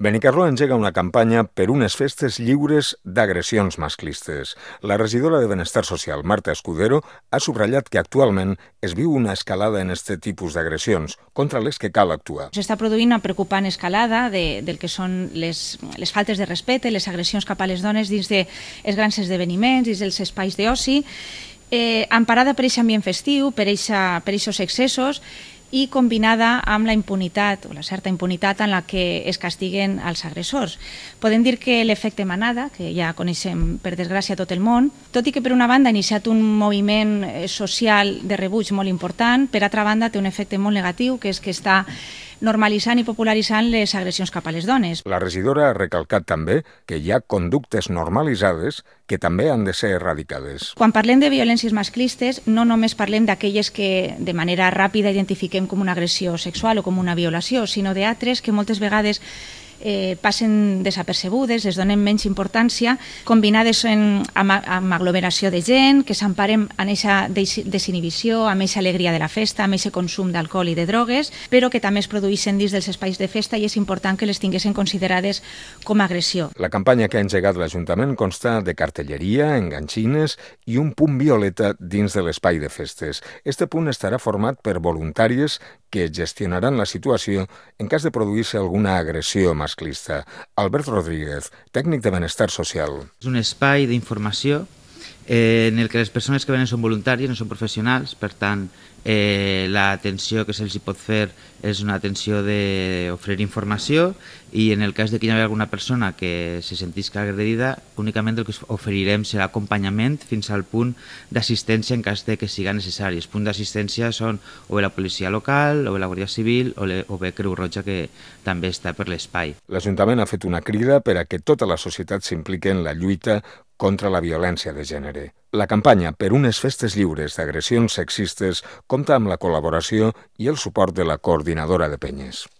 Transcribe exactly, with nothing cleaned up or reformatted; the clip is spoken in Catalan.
Benicarló engega una campanya per unes festes lliures d'agressions masclistes. La regidora de Benestar Social, Marta Escudero, ha subratllat que actualment es viu una escalada en aquest tipus d'agressions, contra les que cal actuar. S'està produint una preocupant escalada de, del que són les, les faltes de respecte, les agressions cap a les dones dins dels grans esdeveniments, dins dels espais d'oci, eh, emparada per aquest ambient festiu, per aquests excessos, i combinada amb la impunitat, o la certa impunitat en la que es castiguen els agressors. Podem dir que l'efecte manada, que ja coneixem per desgràcia tot el món, tot i que per una banda ha iniciat un moviment social de rebuig molt important, per altra banda té un efecte molt negatiu, que és que està normalitzant i popularitzant les agressions cap a les dones. La regidora ha recalcat també que hi ha conductes normalitzades que també han de ser erradicades. Quan parlem de violències masclistes, no només parlem d'aquelles que de manera ràpida identifiquem com una agressió sexual o com una violació, sinó d'altres que moltes vegades eh, passen desapercebudes, es donen menys importància, combinades en, amb, amb aglomeració de gent, que s'emparen en aquesta desinhibició, amb aquesta alegria de la festa, amb aquest consum d'alcohol i de drogues, però que també es produeixen dins dels espais de festa i és important que les tinguessin considerades com a agressió. La campanya que ha engegat l'Ajuntament consta de cartelleria, enganxines i un punt violeta dins de l'espai de festes. Este punt estarà format per voluntàries que gestionaran la situació en cas de produir-se alguna agressió masclista. Albert Rodríguez, tècnic de Benestar Social. És un espai d'informació eh, en el que les persones que venen són voluntàries, no són professionals, per tant, eh, l'atenció que se'ls pot fer és una atenció d'oferir informació i en el cas de que hi hagi alguna persona que se sentisca agredida, únicament el que oferirem serà acompanyament fins al punt d'assistència en cas de que siga necessari. Els punts d'assistència són o bé la policia local, o bé la Guàrdia Civil, o, le, o bé Creu Roja, que també està per l'espai. L'Ajuntament ha fet una crida per a que tota la societat s'impliqui en la lluita contra la violència de gènere. La campanya per unes festes lliures d'agressions sexistes compta amb la col·laboració i el suport de la Coordinadora de Penyes.